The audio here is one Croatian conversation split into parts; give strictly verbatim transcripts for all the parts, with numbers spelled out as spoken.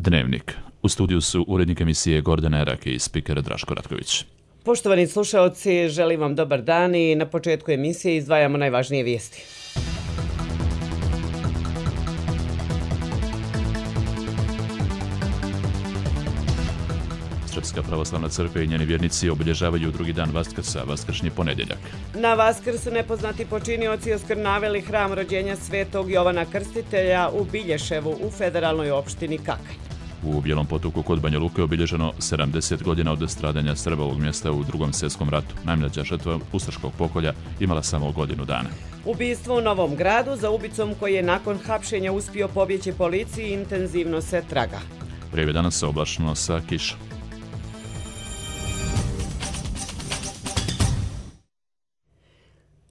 Dnevnik. U studiju su urednik emisije Gordana Erak i spiker Draško Ratković. Poštovani slušaoci, želim vam dobar dan i na početku emisije izdvajamo najvažnije vijesti. Srpska pravoslavna crkva i njeni vjernici obilježavaju drugi dan Vaskrsa, vaskršnji ponedjeljak. Na Vaskrs su nepoznati počinioci oskrnavili hram rođenja svetog Jovana Krstitelja u Bilješevu u federalnoj opštini Kakanj. U Bijelom Potoku kod Banja Luke obilježeno sedamdeset godina od stradanja Srba ovog mjesta u Drugom svjetskom ratu. Najmlađa žrtva ustaškog pokolja imala samo godinu dana. Ubistvo u Novom Gradu, za ubicom koji je nakon hapšenja uspio pobjeći policiji, intenzivno se traga. Vrijeme danas se oblačno sa kišom.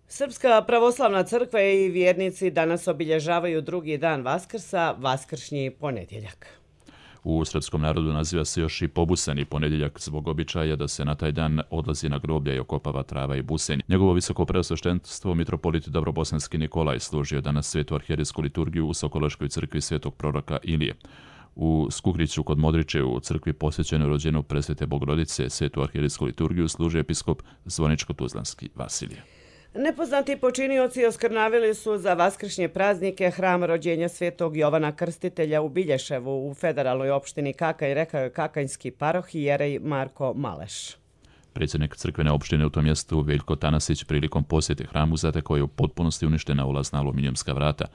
Srpska pravoslavna crkva i vjernici danas obilježavaju drugi dan Vaskrsa, vaskršnji ponedjeljak. U srpskom narodu naziva se još i pobusani ponedjeljak zbog običaja da se na taj dan odlazi na groblja i okopava trava i busenj. Njegovo visoko preosveštenstvo mitropolit Dobrobosanski Nikolaj služio danas svetu arhijerejsku liturgiju u Sokološkoj crkvi svetog proroka Ilije. U Skugriću kod Modriče u crkvi posvećenoj rođenju presvete Bogorodice svetu arhijerejsku liturgiju služi episkop Zvoničko-Tuzlanski Vasilije. Nepoznati počinioci oskrnavili su za vaskršnje praznike hram rođenja svetog Jovana Krstitelja u Bilješevu u federalnoj opštini Kakanj, rekao je kakanjski parohijerej Marko Maleš. Predsjednik crkvene opštine u tom mjestu Veljko Tanasić prilikom posjete hramu zatekao je u potpunosti uništena ulazna aluminijumska vrata,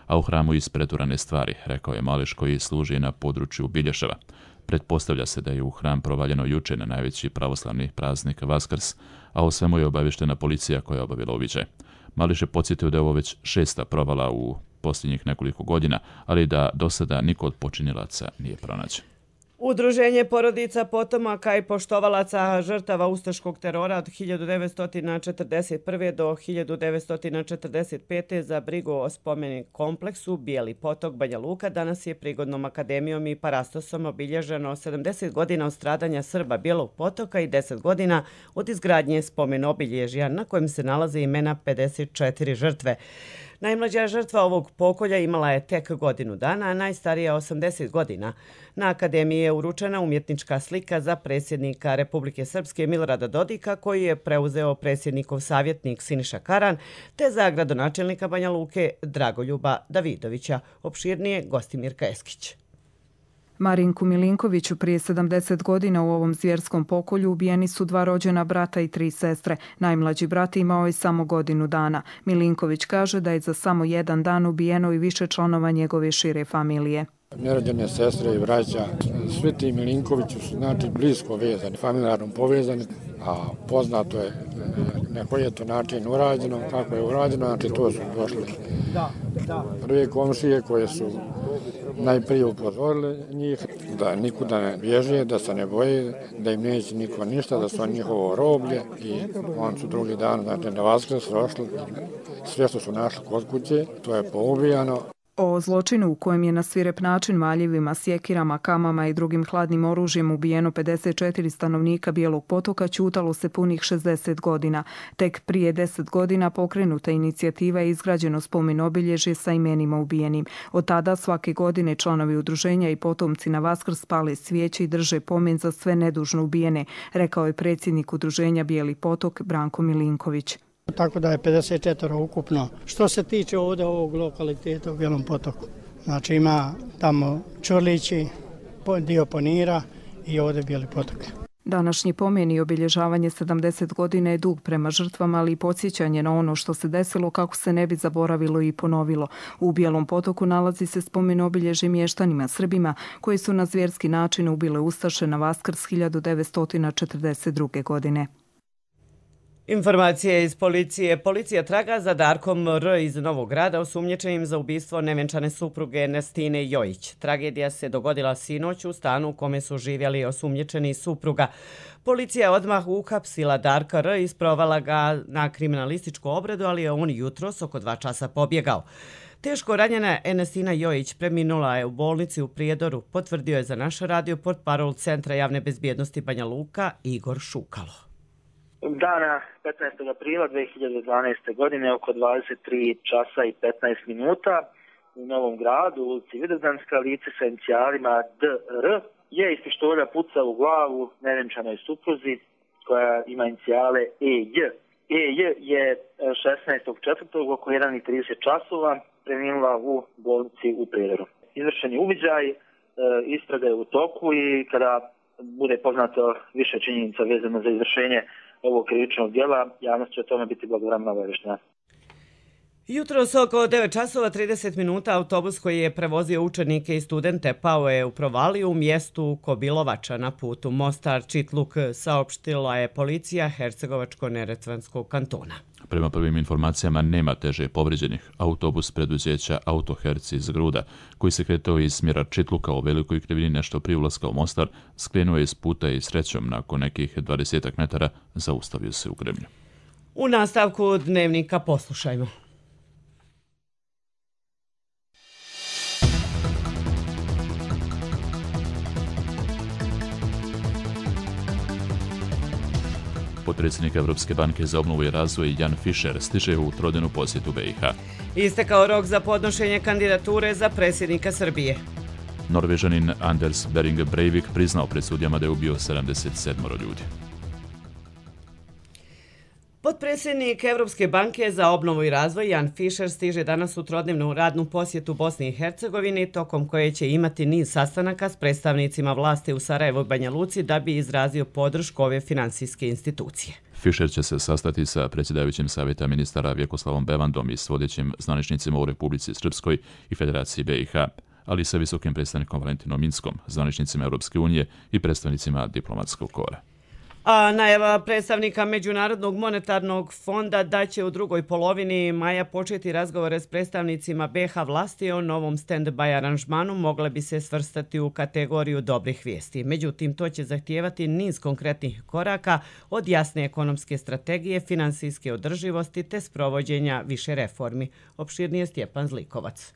a u hramu ispreturane stvari, rekao je Maleš koji služi na području Bilješeva. Pretpostavlja se da je u hram provaljeno juče na najveći pravoslavni praznik Vaskrs, a o svemu je obavještena policija koja je obavila uviđaj. Mališ je podsjetio da je ovo već šesta provala u posljednjih nekoliko godina, ali da do sada niko od počinilaca nije pronađen. Udruženje porodica potomaka i poštovalaca žrtava ustaškog terora od hiljadu devetsto četrdeset prve. do hiljadu devetsto četrdeset pete. za brigu o spomenik kompleksu Bijeli Potok Banja Luka danas je prigodnom akademijom i parastosom obilježeno sedamdeset godina od stradanja Srba Bijelog Potoka i deset godina od izgradnje spomen obilježja na kojem se nalaze imena pedeset četiri žrtve. Najmlađa žrtva ovog pokolja imala je tek godinu dana, a najstarija osamdeset godina. Na akademiji je uručena umjetnička slika za predsjednika Republike Srpske Milorada Dodika, koji je preuzeo predsjednikov savjetnik Siniša Karan, te za gradonačelnika Banja Luke Dragoljuba Davidovića. Opširnije Gostimirka Eskić. Marinku Milinkoviću prije sedamdeset godina u ovom zvjerskom pokolju ubijeni su dva rođena brata i tri sestre. Najmlađi brat imao je samo godinu dana. Milinković kaže da je za samo jedan dan ubijeno i više članova njegove šire familije. Nerođene sestre i braća, svi ti Milinkovići su znači blisko vezani, familijarno povezani, a poznato je na koji je to način urađeno, kako je urađeno, znači to su došli prve komšije koje su najprije upozorili njih da nikuda ne bježe, da se ne boje, da im neće niko ništa, da su njihovo roblje i on su drugi dan, znači na Vaskrs došli, sve što su našli kod kuće, to je poubijano. O zločinu u kojem je na svirep način maljevima, sjekirama, kamama i drugim hladnim oružjem ubijeno pedeset četiri stanovnika Bijelog Potoka ćutalo se punih šezdeset godina. Tek prije deset godina pokrenuta inicijativa je izgrađeno spomen obilježje sa imenima ubijenim. Od tada svake godine članovi udruženja i potomci na Vaskrs pale svijeće i drže pomen za sve nedužno ubijene, rekao je predsjednik udruženja Bijeli Potok Branko Milinković. Tako da je pedeset četiri ukupno. Što se tiče ovdje ovog lokaliteta u Bijelom Potoku, znači ima tamo Čurlići, dio Ponira i ovdje Bijeli Potok. Današnji pomen i obilježavanje sedamdeset godina je dug prema žrtvama, ali i podsjećanje na ono što se desilo kako se ne bi zaboravilo i ponovilo. U Bijelom Potoku nalazi se spomen obilježje mještanima Srbima koji su na zvjerski način ubile ustaše na Vaskrs hiljadu devetsto četrdeset druge. godine. Informacije iz policije. Policija traga za Darkom R. iz Novog Grada, osumnjičenim za ubistvo nevjenčane supruge Ernestine Jojić. Tragedija se dogodila sinoć u stanu u kome su živjeli osumnjičeni supruga. Policija odmah uhapsila Darka R. i isprovala ga na kriminalističku obradu, ali je on jutros oko dva časa pobjegao. Teško ranjena Ernestina Jojić preminula je u bolnici u Prijedoru, potvrdio je za naš radio portparol Centra javne bezbjednosti Banja Luka Igor Šukalo. Dana petnaestog aprila dve hiljade dvanaeste. godine oko dvadeset tri časa i petnaest minuta u Novom Gradu, u ulici Vidovdanska, lice sa inicijalima D R je iz pištolja pucao u glavu nevjenčanoj supruzi koja ima inicijale E J. E J je šesnaestog četvrtog oko jedan i trideset časova preminula u bolnici u Prijedoru. Izvršen je uviđaj, istraga je u toku i kada bude poznato više činjenica vezano za izvršenje ovog krivičnog djela, javnost će o tome biti blagovremeno obaviještena. Jutros oko devet časova trideset minuta autobus koji je prevozio učenike i studente pao je u provaliju u mjestu Kobilovača na putu Mostar-Čitluk, saopštila je policija Hercegovačko-neretvanskog kantona. Prema prvim informacijama nema teže povrijeđenih. Autobus preduzeća Autoherci iz Gruda, koji se kretao iz smjera Čitluka u Velikoj Krivini nešto prije ulaska u Mostar, skrenuo je iz puta i srećom nakon nekih dvadesetak metara zaustavio se u gremlju. U nastavku dnevnika poslušajmo. Potpredsjednik Evropske banke za obnovu i razvoj Jan Fischer stiže u trodnevnu posjetu B i H. Istekao rok za podnošenje kandidature za predsjednika Srbije. Norvežanin Anders Behring Breivik priznao pred sudijama da je ubio sedamdeset sedam ljudi. Potpredsjednik Evropske banke za obnovu i razvoj Jan Fischer stiže danas u trodnevnu radnu posjetu Bosni i Hercegovini, tokom koje će imati niz sastanaka s predstavnicima vlasti u Sarajevu i Banja Luci da bi izrazio podršku ove finansijske institucije. Fischer će se sastati sa predsjedavajućim savjeta ministara Vjekoslavom Bevandom i s vodećim zvaničnicima u Republici Srpskoj i Federaciji B i H, ali i sa visokim predstavnikom Valentinom Minskom, zvaničnicima Europske unije i predstavnicima diplomatskog kora. A najava predstavnika Međunarodnog monetarnog fonda da će u drugoj polovini maja početi razgovore s predstavnicima B i H vlasti o novom stand-by aranžmanu mogle bi se svrstati u kategoriju dobrih vijesti. Međutim, to će zahtijevati niz konkretnih koraka od jasne ekonomske strategije, finansijske održivosti te sprovođenja više reformi. Opširnije Stjepan Zlikovac.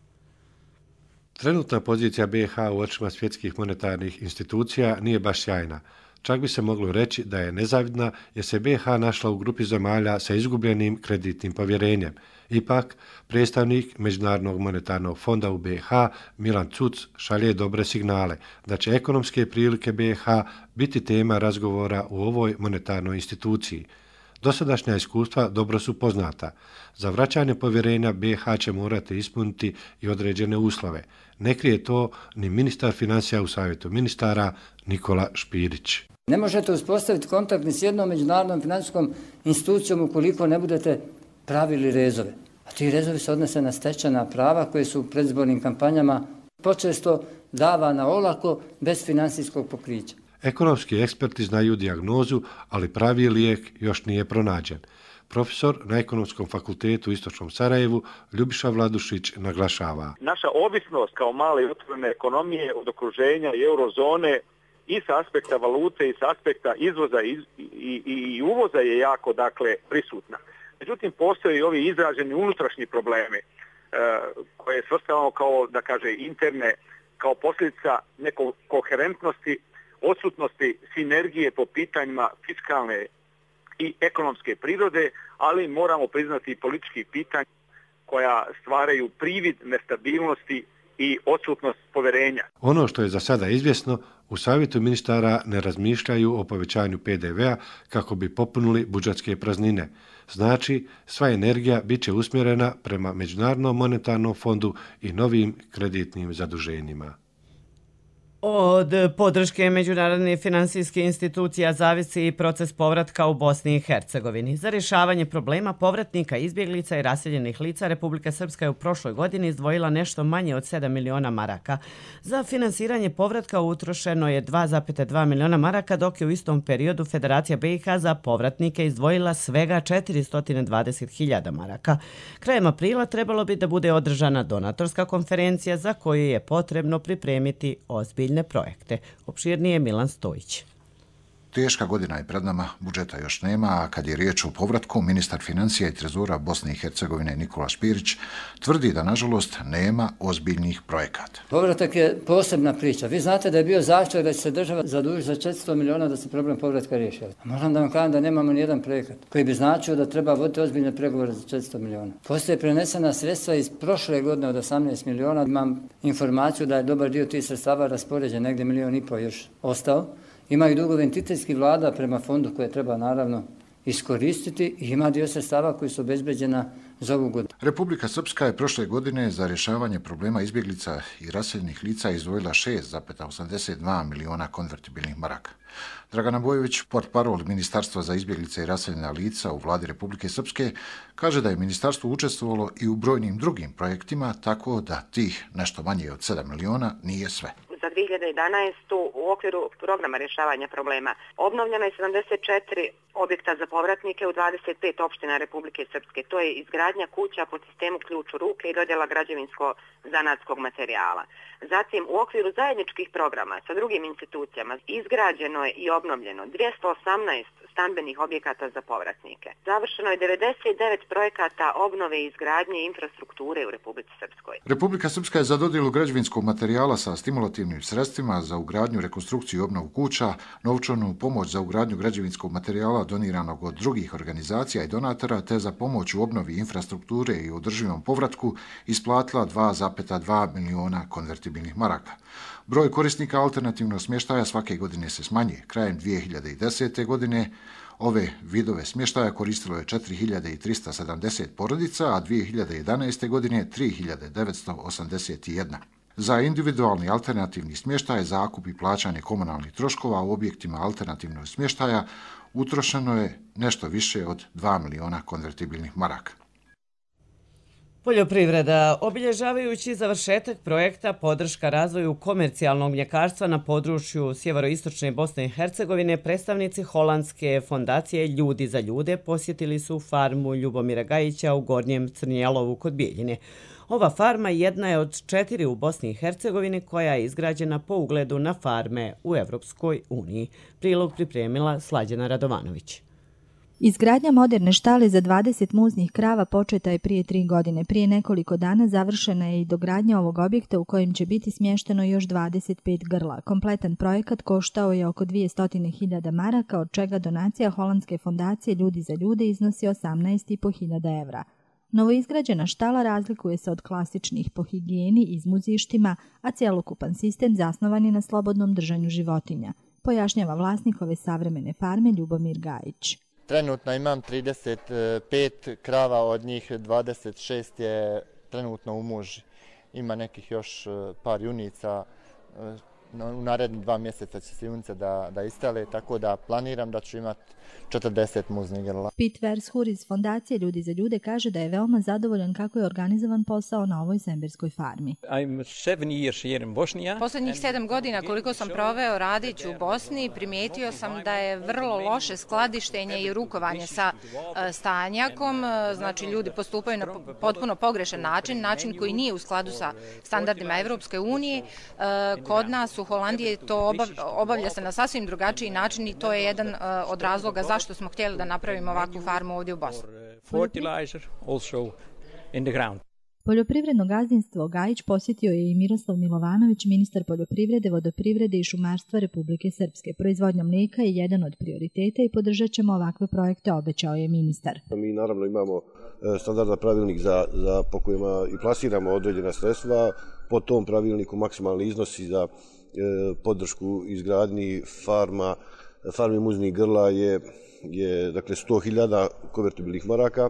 Trenutna pozicija B i H u očima svjetskih monetarnih institucija nije baš sjajna. Čak bi se moglo reći da je nezavidna jer se B i H našla u grupi zemalja sa izgubljenim kreditnim povjerenjem. Ipak, predstavnik Međunarodnog monetarnog fonda u B i H Milan Cuc šalje dobre signale da će ekonomske prilike B i H biti tema razgovora u ovoj monetarnoj instituciji. Dosadašnja iskustva dobro su poznata. Za vraćanje povjerenja B i H će morati ispuniti i određene uslove. Ne krije to ni ministar financija u savjetu ministara Nikola Špirić. Ne možete uspostaviti kontakt ni s jednom međunarodnom financijskom institucijom ukoliko ne budete pravili rezove. A ti rezovi se odnose na stečena prava koje su u predizbornim kampanjama počesto davana olako bez financijskog pokrića. Ekonomski eksperti znaju dijagnozu, ali pravi lijek još nije pronađen. Profesor na Ekonomskom fakultetu u Istočnom Sarajevu Ljubiša Vladušić naglašava. Naša ovisnost kao male i otvorene ekonomije od okruženja i eurozone i sa aspekta valute i sa aspekta izvoza i, i, i uvoza je jako dakle prisutna. Međutim, postoje i ovi izraženi unutrašnji problemi e, koje svrstavamo kao, da kaže, interne, kao posljedica nekog koherentnosti, odsutnosti sinergije po pitanjima fiskalne i ekonomske prirode, ali moramo priznati i političkih pitanja koja stvaraju privid nestabilnosti i odsutnost povjerenja. Ono što je za sada izvjesno, u savjetu ministara ne razmišljaju o povećanju P D V-a kako bi popunili budžetske praznine. Znači, sva energija bit će usmjerena prema Međunarodnom monetarnom fondu i novim kreditnim zaduženjima. Od podrške međunarodne finansijske institucija zavisi i proces povratka u Bosni i Hercegovini. Za rješavanje problema povratnika, izbjeglica i raseljenih lica Republika Srpska je u prošloj godini izdvojila nešto manje od sedam miliona maraka. Za finansiranje povratka utrošeno je dva zarez dva miliona maraka, dok je u istom periodu Federacija B i H za povratnike izdvojila svega četiristo dvadeset hiljada maraka. Krajem aprila trebalo bi da bude održana donatorska konferencija za koju je potrebno pripremiti ozbiljne projekte. Opširnije Milan Stojić. Teška godina je pred nama, budžeta još nema, a kad je riječ o povratku, ministar financija i trezora Bosne i Hercegovine Nikola Špirić tvrdi da, nažalost, nema ozbiljnih projekata. Povratak je posebna priča. Vi znate da je bio zahtjev da će se država zadužiti za četiristo miliona da se problem povratka riješi. Moram da vam kažem da nemamo ni jedan projekat koji bi značio da treba voditi ozbiljne pregovore za četiristo miliona. Postoje prenesena sredstva iz prošle godine od osamnaest miliona. Imam informaciju da je dobar dio tih sredstava raspoređen, negdje milion i po još ostao. Ima i dugove entitetskih vlada prema fondu koje treba naravno iskoristiti i ima dio sredstava koji su obezbeđena za ovu godinu. Republika Srpska je prošle godine za rješavanje problema izbjeglica i raseljenih lica izdvojila šest zarez osamdeset dva miliona konvertibilnih maraka. Dragana Bojović, portparol Ministarstva za izbjeglice i raseljena lica u vladi Republike Srpske, kaže da je ministarstvo učestvovalo i u brojnim drugim projektima, tako da tih nešto manje od sedam miliona nije sve. Za dvije hiljade jedanaestu u okviru programa rješavanja problema obnovljeno je sedamdeset četiri objekta za povratnike u dvadeset pet opština Republike Srpske. To je izgradnja kuća po sistemu ključ u ruke i dodjela građevinsko-zanatskog materijala. Zatim, u okviru zajedničkih programa sa drugim institucijama izgrađeno je i obnovljeno dvjesto osamnaest stambenih objekata za povratnike. Završeno je devedeset devet projekata obnove i izgradnje infrastrukture u Republici Srpskoj. Republika Srpska je za dodjelu građevinskog materijala sa stimulativnim sredstvima za ugradnju, rekonstrukciju i obnovu kuća, novčanu pomoć za ugradnju građevinskog materijala doniranog od drugih organizacija i donatora, te za pomoć u obnovi infrastrukture i održivom povratku isplatila dva zarez dva miliona konvertibilnih maraka. Broj korisnika alternativnog smještaja svake godine se smanjuje. Krajem dvije hiljade desete. godine ove vidove smještaja koristilo je četiri hiljade trista sedamdeset porodica, a dvije hiljade jedanaeste. godine tri hiljade devetsto osamdeset jedna. Za individualni alternativni smještaj, zakup i plaćanje komunalnih troškova u objektima alternativnog smještaja utrošeno je nešto više od dva miliona konvertibilnih maraka. Poljoprivreda. Obilježavajući završetak projekta podrška razvoju komercijalnog mljekarstva na području sjeveroistočne Bosne i Hercegovine, predstavnici holandske fondacije Ljudi za ljude posjetili su farmu Ljubomira Gajića u Gornjem Crnjelovu kod Bijeljine. Ova farma jedna je od četiri u Bosni i Hercegovini koja je izgrađena po ugledu na farme u Evropskoj uniji. Prilog pripremila Slađana Radovanović. Izgradnja moderne štale za dvadeset muznih krava početa je prije tri godine. Prije nekoliko dana završena je i dogradnja ovog objekta u kojem će biti smješteno još dvadeset pet grla. Kompletan projekat koštao je oko dvjesto hiljada maraka, od čega donacija holandske fondacije Ljudi za ljude iznosi osamnaest i po hiljada evra. Novoizgrađena štala razlikuje se od klasičnih po higijeni i izmuzištima, a cjelokupan sistem zasnovan je na slobodnom držanju životinja, pojašnjava vlasnik ove savremene farme Ljubomir Gajić. Trenutno imam trideset pet krava, od njih dvadeset šest je trenutno u muži. Ima nekih još par junica, u narednih dva mjeseca će se junice da, da istele, tako da planiram da ću imati četrdeset muznih grla. Pete Vershur iz fondacije Ljudi za ljude kaže da je veoma zadovoljan kako je organizovan posao na ovoj semberskoj farmi. Posljednjih sedam godina koliko sam proveo radići u Bosni, primijetio sam da je vrlo loše skladištenje i rukovanje sa stanjakom. Znači, ljudi postupaju na potpuno pogrešan način, način koji nije u skladu sa standardima Evropske unije. Kod nas u Holandiji to obavlja se na sasvim drugačiji način i to je jedan od razloga zašto smo htjeli da napravimo ovakvu farmu ovdje u Bosni. Poljoprivredno gazdinstvo Gajić posjetio je i Miroslav Milovanović, ministar poljoprivrede, vodoprivrede i šumarstva Republike Srpske. Proizvodnja mlijeka je jedan od prioriteta i podržat ćemo ovakve projekte, obećao je ministar. Mi naravno imamo standardan pravilnik za, za, po kojima i plasiramo određena sredstva. Po tom pravilniku maksimalni iznosi za e, podršku izgradnji farma, farmi muznih grla je, je dakle, sto hiljada konvertibilnih maraka. E,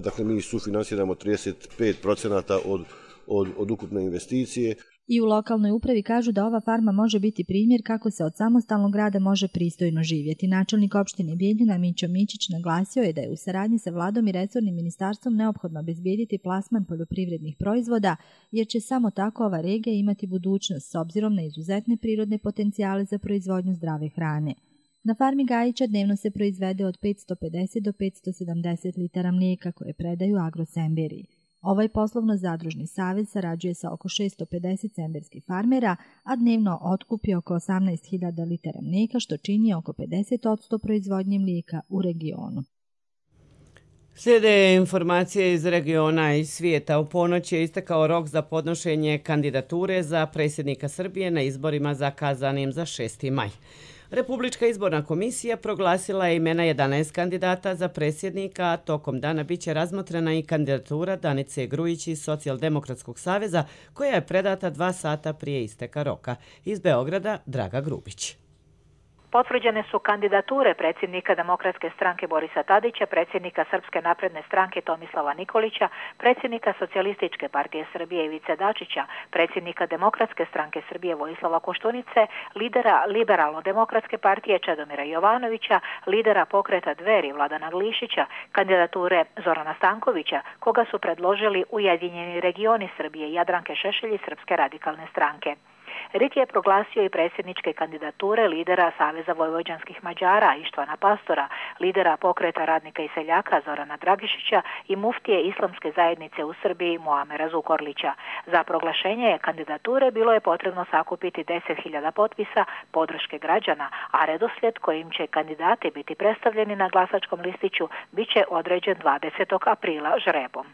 dakle, mi sufinansiramo trideset pet procenata od, od, od ukupne investicije. I u lokalnoj upravi kažu da ova farma može biti primjer kako se od samostalnog rada može pristojno živjeti. Načelnik opštine Bijeljina Mićo Mićić naglasio je da je u saradnji sa vladom i resornim ministarstvom neophodno obezbijediti plasman poljoprivrednih proizvoda, jer će samo tako ova regija imati budućnost s obzirom na izuzetne prirodne potencijale za proizvodnju zdrave hrane. Na farmi Gajića dnevno se proizvede od petsto pedeset do petsto sedamdeset litara mlijeka koje predaju Agrosemberi. Ovaj poslovno-zadružni savez sarađuje sa oko šesto pedeset senderskih farmera, a dnevno otkupi oko osamnaest hiljada litara mlijeka, što čini oko pedeset posto proizvodnje mlijeka u regionu. Slijede informacije iz regiona i svijeta. U ponoć je istekao rok za podnošenje kandidature za predsjednika Srbije na izborima zakazanim za šesti maj. Republička izborna komisija proglasila je imena jedanaest kandidata za predsjednika, a tokom dana biće razmotrena i kandidatura Danice Grujić iz Socijaldemokratskog saveza, koja je predata dva sata prije isteka roka. Iz Beograda Draga Grubić. Potvrđene su kandidature predsjednika Demokratske stranke Borisa Tadića, predsjednika Srpske napredne stranke Tomislava Nikolića, predsjednika Socijalističke partije Srbije Ivice Dačića, predsjednika Demokratske stranke Srbije Vojislava Koštunice, lidera Liberalno-demokratske partije Čedomira Jovanovića, lidera pokreta Dveri Vladana Glišića, kandidature Zorana Stankovića, koga su predložili Ujedinjeni regioni Srbije Jadranke Šešelj iz Srpske radikalne stranke. R I K je proglasio i predsjedničke kandidature lidera Saveza vojvođanskih Mađara Ištvana Pastora, lidera pokreta radnika i seljaka Zorana Dragišića i muftije Islamske zajednice u Srbiji Muamera Zukorlića. Za proglašenje kandidature bilo je potrebno sakupiti deset hiljada potpisa podrške građana, a redoslijed kojim će kandidati biti predstavljeni na glasačkom listiću biće određen dvadesetog aprila žrebom.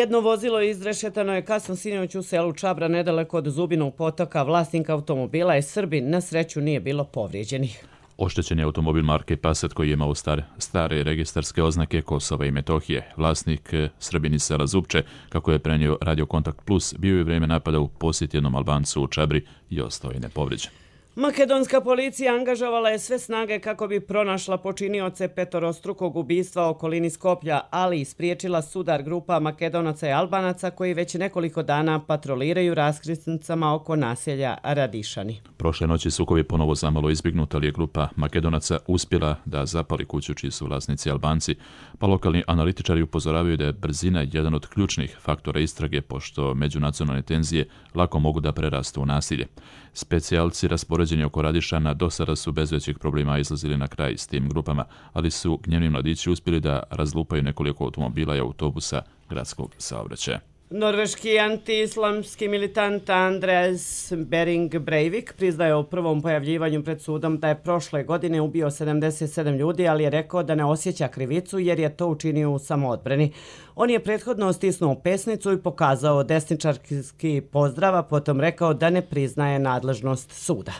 Jedno vozilo izrešetano je kasno sinoć u selu Čabra, nedaleko od Zubinog potoka. Vlasnik automobila je Srbin, na sreću nije bilo povrijeđenih. Oštećen je automobil marke Passat koji je imao star, stare registarske oznake Kosova i Metohije. Vlasnik Srbin iz sela Zupče, kako je prenio Radio Kontakt Plus, bio je vrijeme napada u posjet jednom Albancu u Čabri i ostao je nepovrijeđen. Makedonska policija angažovala je sve snage kako bi pronašla počinioce petorostrukog ubistva u okolini Skoplja, ali i spriječila sudar grupa Makedonaca i Albanaca koji već nekoliko dana patroliraju raskrsnicama oko naselja Radišani. Prošle noći sukovi ponovo zamalo izbjegnut, ali je grupa Makedonaca uspjela da zapali kuću čiji su vlasnici Albanci, pa lokalni analitičari upozoravaju da je brzina jedan od ključnih faktora istrage, pošto međunacionalne tenzije lako mogu da prerastu u nasilje. Specijalci raspoređeni oko Radišana do sada su bez većih problema izlazili na kraj s tim grupama, ali su gnjevni mladići uspjeli da razlupaju nekoliko automobila i autobusa gradskog saobraćaja. Norveški anti-islamski militant Andreas Behring Breivik priznaje u prvom pojavljivanju pred sudom da je prošle godine ubio sedamdeset sedam ljudi, ali je rekao da ne osjeća krivicu jer je to učinio u samoodbrani. On je prethodno stisnuo pesnicu i pokazao desničarski pozdrav, a potom rekao da ne priznaje nadležnost suda.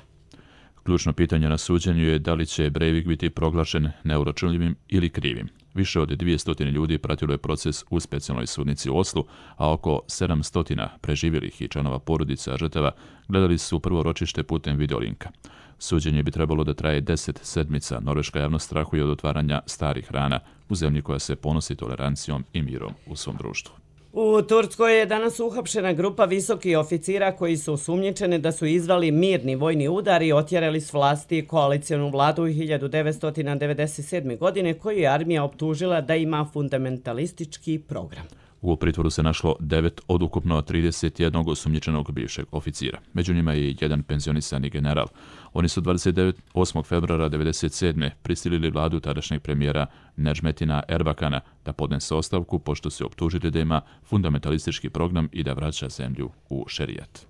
Ključno pitanje na suđenju je da li će Breivik biti proglašen neuračunljivim ili krivim. Više od dvjesto ljudi pratilo je proces u specijalnoj sudnici u Oslu, a oko sedamsto preživjelih i članova porodica žrtava gledali su prvo ročište putem videolinka. Suđenje bi trebalo da traje deset sedmica. Norveška javnost strahuje od otvaranja starih rana u zemlji koja se ponosi tolerancijom i mirom u svom društvu. U Turskoj je danas uhapšena grupa visokih oficira koji su osumnjičeni da su izvali mirni vojni udar i otjerali s vlasti koalicijonu vladu hiljadu devetsto devedeset sedme. godine koju je armija optužila da ima fundamentalistički program. U pritvoru se našlo devet od ukupno trideset jednog osumnjičenog bivšeg oficira. Među njima je i jedan penzionisani general. Oni su dvadeset osmog februara devedeset sedme prisilili vladu tadašnjeg premijera Nedžmetina Erbakana da podnese ostavku pošto se optužili da ima fundamentalistički program i da vraća zemlju u šerijat.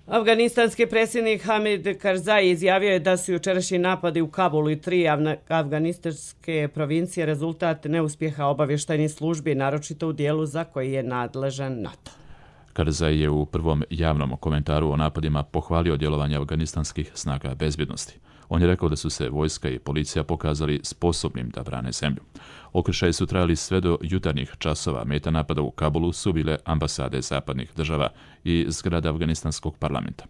Afganistanski predsjednik Hamid Karzai izjavio je da su jučerašnji napadi u Kabulu i tri afganistanske provincije rezultat neuspjeha obavještajnih službi, naročito u dijelu za koji je nadležan NATO. Karzai je u prvom javnom komentaru o napadima pohvalio djelovanje afganistanskih snaga bezbjednosti. On je rekao da su se vojska i policija pokazali sposobnim da brane zemlju. Okršaji su trajali sve do jutarnjih časova. Meta napada u Kabulu su bile ambasade zapadnih država i zgrada afganistanskog parlamenta.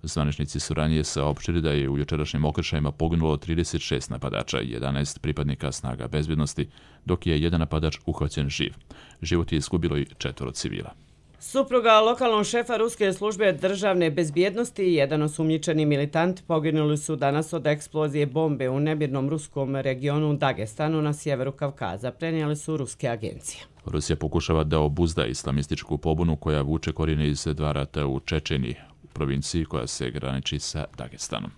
Zvaničnici su ranije saopštili da je u jučerašnjim okršajima poginulo trideset šest napadača i jedanaest pripadnika snaga bezbjednosti, dok je jedan napadač uhvaćen živ. Život je izgubilo i četvoro civila. Supruga lokalnog šefa ruske službe državne bezbjednosti i jedan osumnjičeni militant poginuli su danas od eksplozije bombe u nemirnom ruskom regionu Dagestanu na sjeveru Kavkaza, prenijeli su ruske agencije. Rusija pokušava da obuzda islamističku pobunu koja vuče korijene iz dva rata u Čečeniji, u provinciji koja se graniči sa Dagestanom.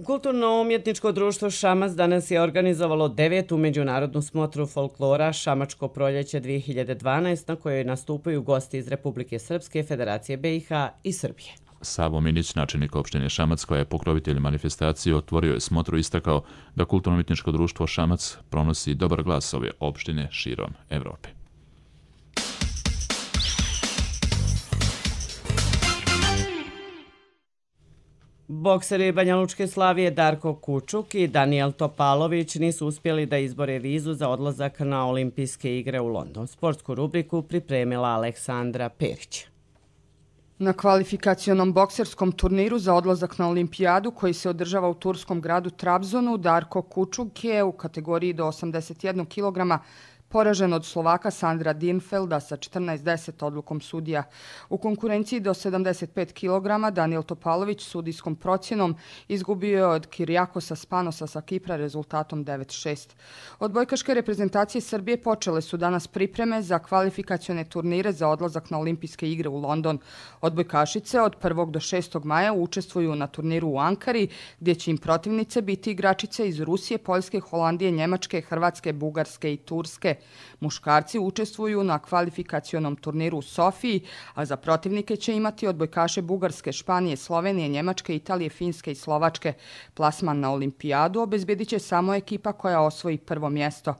Kulturno-umjetničko društvo Šamac danas je organizovalo devetu međunarodnu smotru folklora Šamačko proljeće dvije hiljade dvanaeste na kojoj nastupaju gosti iz Republike Srpske, Federacije B i H i Srbije. Savo Minić, načelnik opštine Šamac, koja je pokrovitelj manifestacije, otvorio je smotru i istakao da Kulturno-umjetničko društvo Šamac pronosi dobar glas ove opštine širom Evrope. Bokseri Banja Lučke Slavije Darko Kučuk i Danijel Topalović nisu uspjeli da izbore vizu za odlazak na olimpijske igre u London. Sportsku rubriku pripremila Aleksandra Perić. Na kvalifikacionom bokserskom turniru za odlazak na olimpijadu koji se održava u turskom gradu Trabzonu, Darko Kučuk je u kategoriji do osamdeset jednog kilograma poražen od Slovaka Sandra Dinfelda sa četrnaest deset odlukom sudija. U konkurenciji do sedamdeset pet kilograma Danijel Topalović sudijskom procjenom izgubio je od Kirijakosa Spanosa sa Kipra rezultatom devet šest. Odbojkaške reprezentacije Srbije počele su danas pripreme za kvalifikacione turnire za odlazak na olimpijske igre u London. Odbojkašice od prvog do šestog maja učestvuju na turniru u Ankari, gdje će im protivnice biti igračice iz Rusije, Poljske, Holandije, Njemačke, Hrvatske, Bugarske i Turske. Muškarci učestvuju na kvalifikacionom turniru u Sofiji, a za protivnike će imati odbojkaše Bugarske, Španije, Slovenije, Njemačke, Italije, Finske i Slovačke. Plasman na olimpijadu obezbedit će samo ekipa koja osvoji prvo mjesto.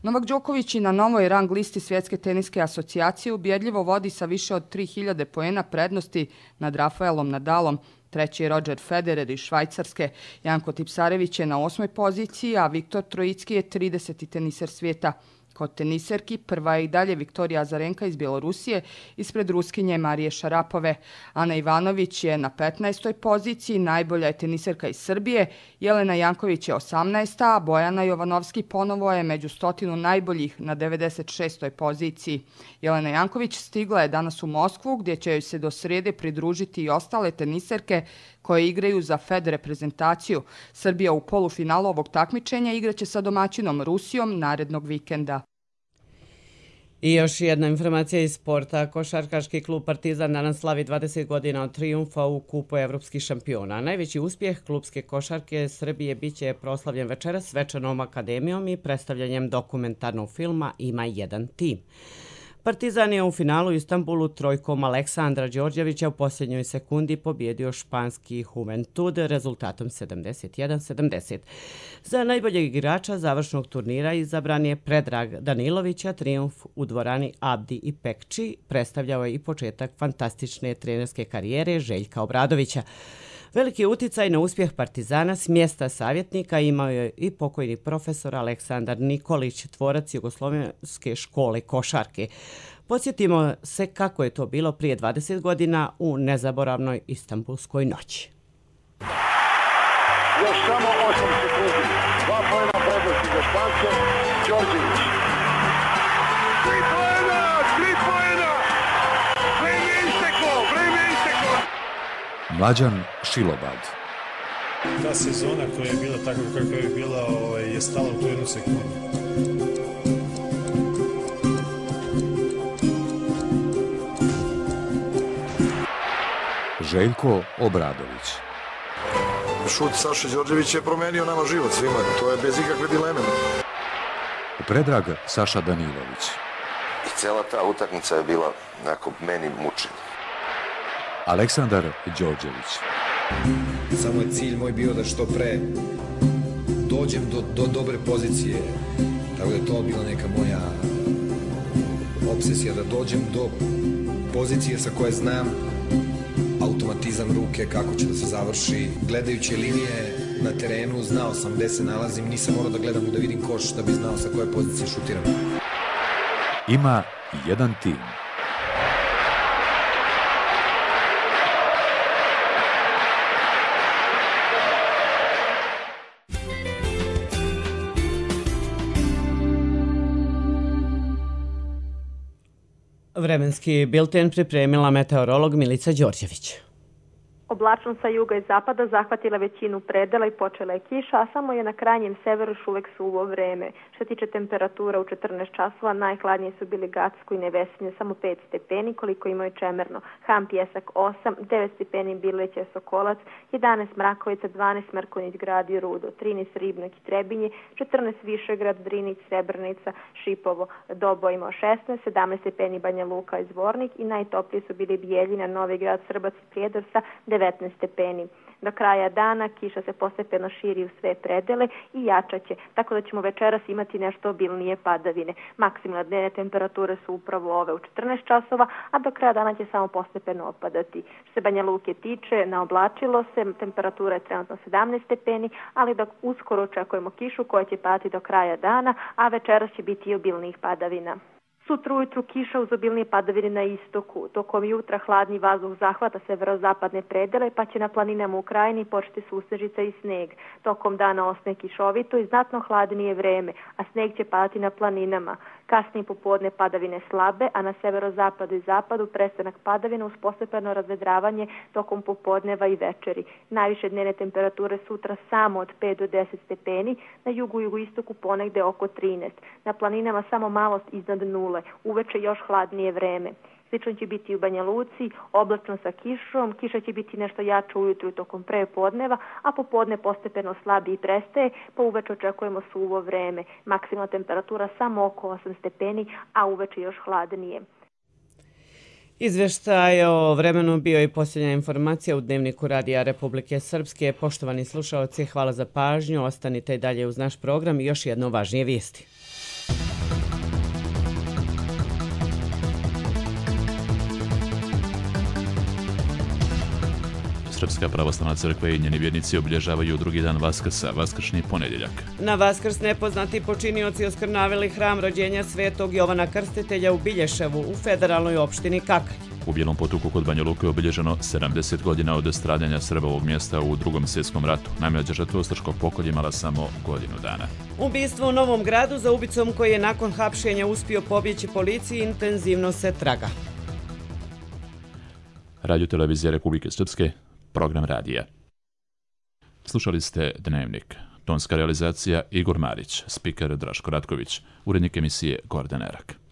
Novak Đoković i na novoj rang listi Svjetske teniske asocijacije ubjedljivo vodi sa više od tri hiljade poena prednosti nad Rafaelom Nadalom. Treći je Roger Federer iz Švajcarske. Janko Tipsarević je na osmoj poziciji, a Viktor Trojicki je trideseti teniser svijeta. Kod teniserki prva je i dalje Viktorija Azarenka iz Bjelorusije ispred Ruskinje Marije Šarapove. Ana Ivanović je na petnaestoj poziciji, najbolja je teniserka iz Srbije. Jelena Janković je osamnaesta, a Bojana Jovanovski ponovo je među stotinu najboljih na devedeset šestoj poziciji. Jelena Janković stigla je danas u Moskvu, gdje će joj se do srijede pridružiti i ostale teniserke koje igraju za Fed reprezentaciju. Srbija u polufinalu ovog takmičenja igraće sa domaćinom Rusijom narednog vikenda. I još jedna informacija iz sporta. Košarkaški klub Partizan danas slavi dvadeset godina od trijumfa u kupu evropskih šampiona. Najveći uspjeh klubske košarke Srbije biće proslavljen večeras svečanom akademijom i predstavljanjem dokumentarnog filma Ima jedan tim. Partizan je u finalu u Istanbulu trojkom Aleksandra Đorđevića u posljednjoj sekundi pobjedio španski Juventud rezultatom sedamdeset jedan sedamdeset. Za najboljeg igrača završnog turnira izabran je Predrag Danilović, a trijumf u dvorani Abdi i Pekči predstavljao je i početak fantastične trenerske karijere Željka Obradovića. Veliki uticaj na uspjeh Partizana s mjesta savjetnika imao je i pokojni profesor Aleksandar Nikolić, tvorac Jugoslovenske škole košarke. Podsjetimo se kako je to bilo prije dvadeset godina u nezaboravnoj Istanbulskoj noći. Još samo osam sekundi. Dva pojena prednosti za Špance. Đorđević. Tri pojena! Tri pojena! Vreme je isteklo! Vreme je isteklo! Mlađan Šilobad. Ta sezona koja je bila takva kakva je bila je stala u tu jednu sekundu. Željko Obradović. Šut Saše Đorđević je promenio nama život svima, to je bez ikakve dileme. Predrag Saša Danilović. I cela ta utakmica je bila onako meni mučenje. Aleksandar Đorđević. Samo je cilj moj bio da što pre dođem do, do dobre pozicije, tako da je to bila neka moja obsesija, da dođem do pozicije sa koje znam automatizam ruke, kako će da se završi. Gledajući linije na terenu, znao sam gde se nalazim, nisam morao da gledam da vidim koš da bi znao sa koje pozicije šutiram. Ima jedan tim. Vremenski bilten pripremila meteorolog Milica Đorđević. Oblačnost sa juga i zapada zahvatila većinu predela i počela je kiša, a samo je na krajnjem severu još uvek suvo vreme. Što tiče temperatura u četrnaest časova, najhladnije su bili Gacko i Nevesinje, samo pet stepeni, koliko imaju Čemerno. Ham, Pjesak osam, devet stepeni Bileće, Sokolac, jedanaest Mrakovica, dvanaest Mrkonjić Grad i Rudo, trinaest Ribnik i Trebinje, četrnaest Višegrad, Drinić, Srebrnica, Šipovo, Dobo imao šesnaest, sedamnaest stepeni Banja Luka i Zvornik i najtopliji su bili Bijeljina, Novi Grad, Srbac i Prijedor sa devetnaest stepeni. Do kraja dana kiša se postepeno širi u sve predele i jačaće, tako da ćemo večeras imati nešto obilnije padavine. Maksimalne dnevne temperature su upravo ove u četrnaest časova, a do kraja dana će samo postepeno opadati. Što se Banja Luke tiče, naoblačilo se, temperatura je trenutno sedamnaest stepeni, ali dok uskoro očekujemo kišu koja će padati do kraja dana, a večeras će biti i obilnijih padavina. Sutra ujutru kiša uz obilnije padavine na istoku. Tokom jutra hladni vazduh zahvata severozapadne predele, pa će na planinama u krajini početi susnežica i sneg. Tokom dana osne kišovito i znatno hladnije vreme, a sneg će padati na planinama. Kasnije popodne padavine slabe, a na severozapadu i zapadu prestanak padavina uz postepeno razvedravanje tokom popodneva i večeri. Najviše dnevne temperature sutra samo od pet do deset stepeni, na jugu i jugoistoku ponegde oko trinaest. Na planinama samo malo iznad nule, uveče još hladnije vreme. Slično će biti u Banja Luci, oblačno sa kišom, kiša će biti nešto jača ujutru tokom prepodneva, a popodne postepeno slabi i prestaje, pa uveče očekujemo suvo vreme. Maksimalna temperatura samo oko osam stepeni, a uveče još hladnije. Izveštaj o vremenu bio i posljednja informacija u Dnevniku Radija Republike Srpske. Poštovani slušalci, hvala za pažnju, ostanite i dalje uz naš program i još jedno važnije vijesti. Srpska pravoslavna crkva i njeni vjernici obilježavaju drugi dan Vaskrsa, vaskršnji ponedjeljak. Na Vaskrs nepoznati počinioci oskrnavili hram rođenja svetog Jovana Krstitelja u Bilješevu u federalnoj opštini Kakanj. U Bijelom Potoku kod Banja Luke je obilježeno sedamdeset godina od stradanja Srba ovog mjesta u Drugom svjetskom ratu. Najmlađa žrtva ustaškog pokolja imala samo godinu dana. Ubistvo u Novom Gradu za ubicom koji je nakon hapšenja uspio pobjeći policiji intenzivno se traga. Radio Televizija Republike Srpske, program radija. Slušali ste Dnevnik. Tonska realizacija Igor Marić, spiker Draško Ratković, urednik emisije Gordan Erak.